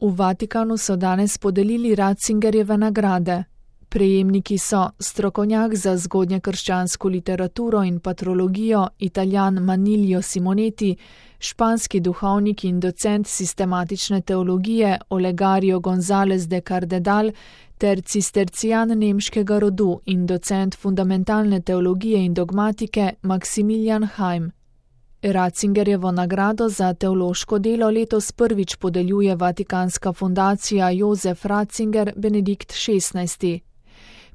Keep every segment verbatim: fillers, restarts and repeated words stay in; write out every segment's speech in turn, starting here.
V Vatikanu so danes podelili Ratzingerjeve nagrade. Prejemniki so strokovnjak za zgodnjekrščansko literaturo in patrologijo Italijan Manilio Simoneti, španski duhovnik in docent sistematične teologije Olegario González de Cardedal ter cistercijan nemškega rodu in docent fundamentalne teologije in dogmatike Maximilian Heim. Ratzingerjevo nagrado za teološko delo letos prvič podeljuje Vatikanska fundacija Jozef Ratzinger Benedikt šestnajsti.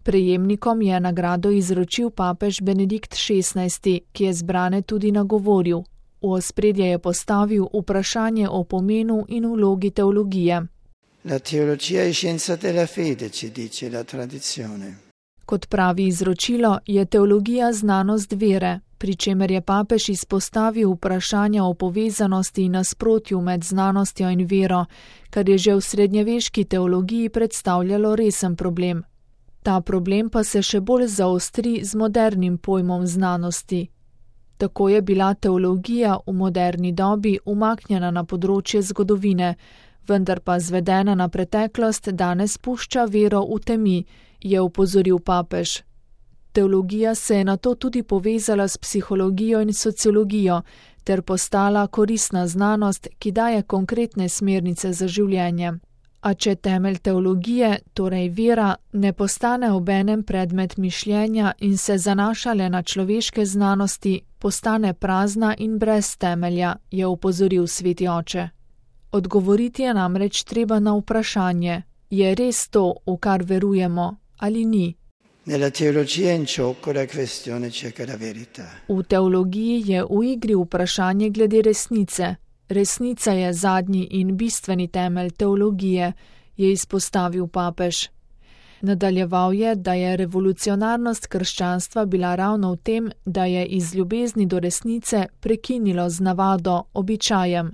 Prejemnikom je nagrado izročil papež Benedikt šestnajsti, ki je zbrane tudi nagovoril. V ospredje je postavil vprašanje o pomenu in vlogi teologije. La teologia è scienza della fede, ci dice la tradizione. Kot pravi izročilo, je teologija znanost vere, pri čemer je papež izpostavil vprašanja o povezanosti in nasprotju med znanostjo in vero, kar je že v srednjeveški teologiji predstavljalo resen problem. Ta problem pa se še bolj zaostri z modernim pojmom znanosti. Tako je bila teologija v moderni dobi umaknjena na področje zgodovine, vendar pa zvedena na preteklost danes pušča vero v temi, je opozoril papež. Teologija se je nato tudi povezala s psihologijo in sociologijo ter postala koristna znanost, ki daje konkretne smernice za življenje. A če temelj teologije, torej vera, ne postane obenem predmet mišljenja in se zanaša le na človeške znanosti, postane prazna in brez temelja, je opozoril sveti oče. Odgovoriti je namreč treba na vprašanje, je res to, v kar verujemo, ali ni. Nella teologia in gioco la questione cerca la verità. V teologiji je v igri vprašanje glede resnice. Resnica je zadnji in bistveni temelj teologije, je izpostavil papež. Nadaljeval je, da je revolucionarnost krščanstva bila ravno v tem, da je iz ljubezni do resnice prekinilo z navado, običajem.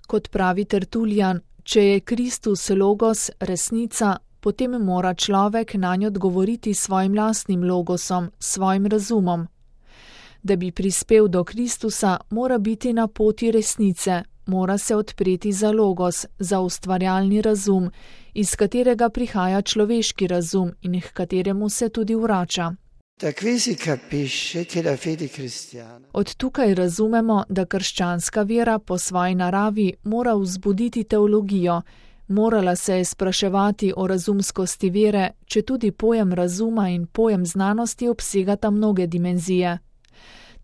Kot pravi Tertullian, če je Kristus logos, resnica, potem mora človek nanj odgovoriti svojim lastnim logosom, svojim razumom. Da bi prispel do Kristusa, mora biti na poti resnice, mora se odpreti za logos, za ustvarjalni razum, iz katerega prihaja človeški razum in k kateremu se tudi vrača. Od tukaj razumemo, da krščanska vera po svoji naravi mora vzbuditi teologijo, morala se je spraševati o razumskosti vere, če tudi pojem razuma in pojem znanosti obsegata mnoge dimenzije.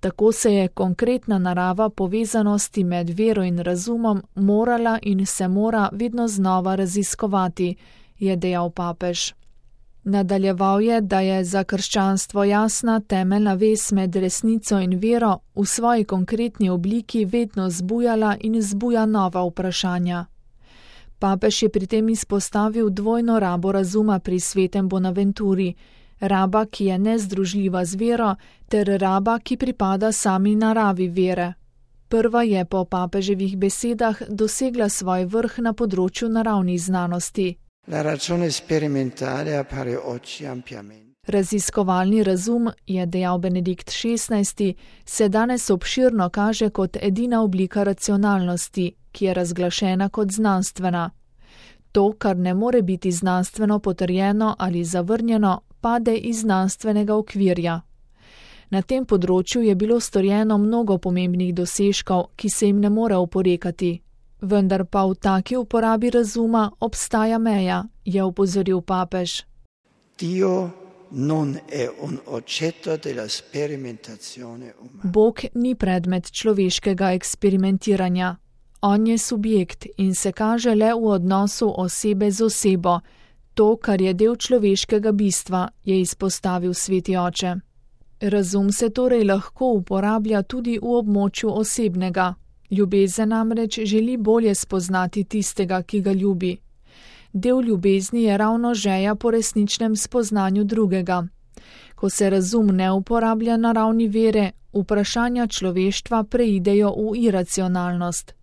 Tako se je konkretna narava povezanosti med vero in razumom morala in se mora vedno znova raziskovati, je dejal papež. Nadaljeval je, da je za krščanstvo jasna temeljna vez med resnico in vero v svoji konkretni obliki vedno zbujala in zbuja nova vprašanja. Papež je pri tem izpostavil dvojno rabo razuma pri svetem Bonaventuri, raba, ki je nezdružljiva z vero, ter raba, ki pripada sami naravi vere. Prva je po papeževih besedah dosegla svoj vrh na področju naravnih znanosti. La ragione sperimentale appare oggi ampiamente. Raziskovalni razum, je dejal Benedikt šestnajsti, se danes obširno kaže kot edina oblika racionalnosti, ki je razglašena kot znanstvena. To, kar ne more biti znanstveno potrjeno ali zavrnjeno, pade iz znanstvenega okvirja. Na tem področju je bilo storjeno mnogo pomembnih dosežkov, ki se jim ne more oporekati. Vendar pa v taki uporabi razuma obstaja meja, je opozoril papež. Dio non è un oggetto della sperimentazione umana. Bog ni predmet človeškega eksperimentiranja. On je subjekt in se kaže le v odnosu osebe z osebo. To, kar je del človeškega bistva, je izpostavil sveti oče. Razum se torej lahko uporablja tudi v območju osebnega. Ljubezen namreč želi bolje spoznati tistega, ki ga ljubi. Del ljubezni je ravno želja po resničnem spoznanju drugega. Ko se razum ne uporablja na ravni vere, vprašanja človeštva preidejo v iracionalnost.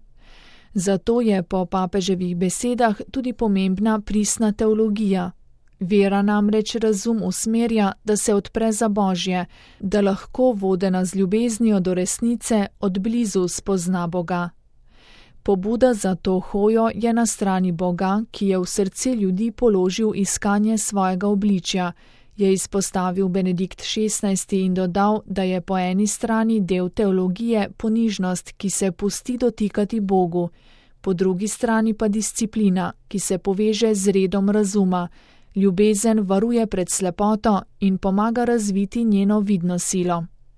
Zato je po papeževih besedah tudi pomembna pristna teologija. Vera namreč razum usmerja, da se odpre za Božje, da lahko vodena z ljubeznijo do resnice od blizu spozna Boga. Pobuda za to hojo je na strani Boga, ki je v srce ljudi položil iskanje svojega obličja, je izpostavil Benedikt šestnajsti in dodal, da je po eni strani del teologije ponižnost, ki se pusti dotikati Bogu, po drugi strani pa disciplina, ki se poveže z redom razuma. Ljubezen varuje pred slepoto in pomaga razviti njeno vidno silo.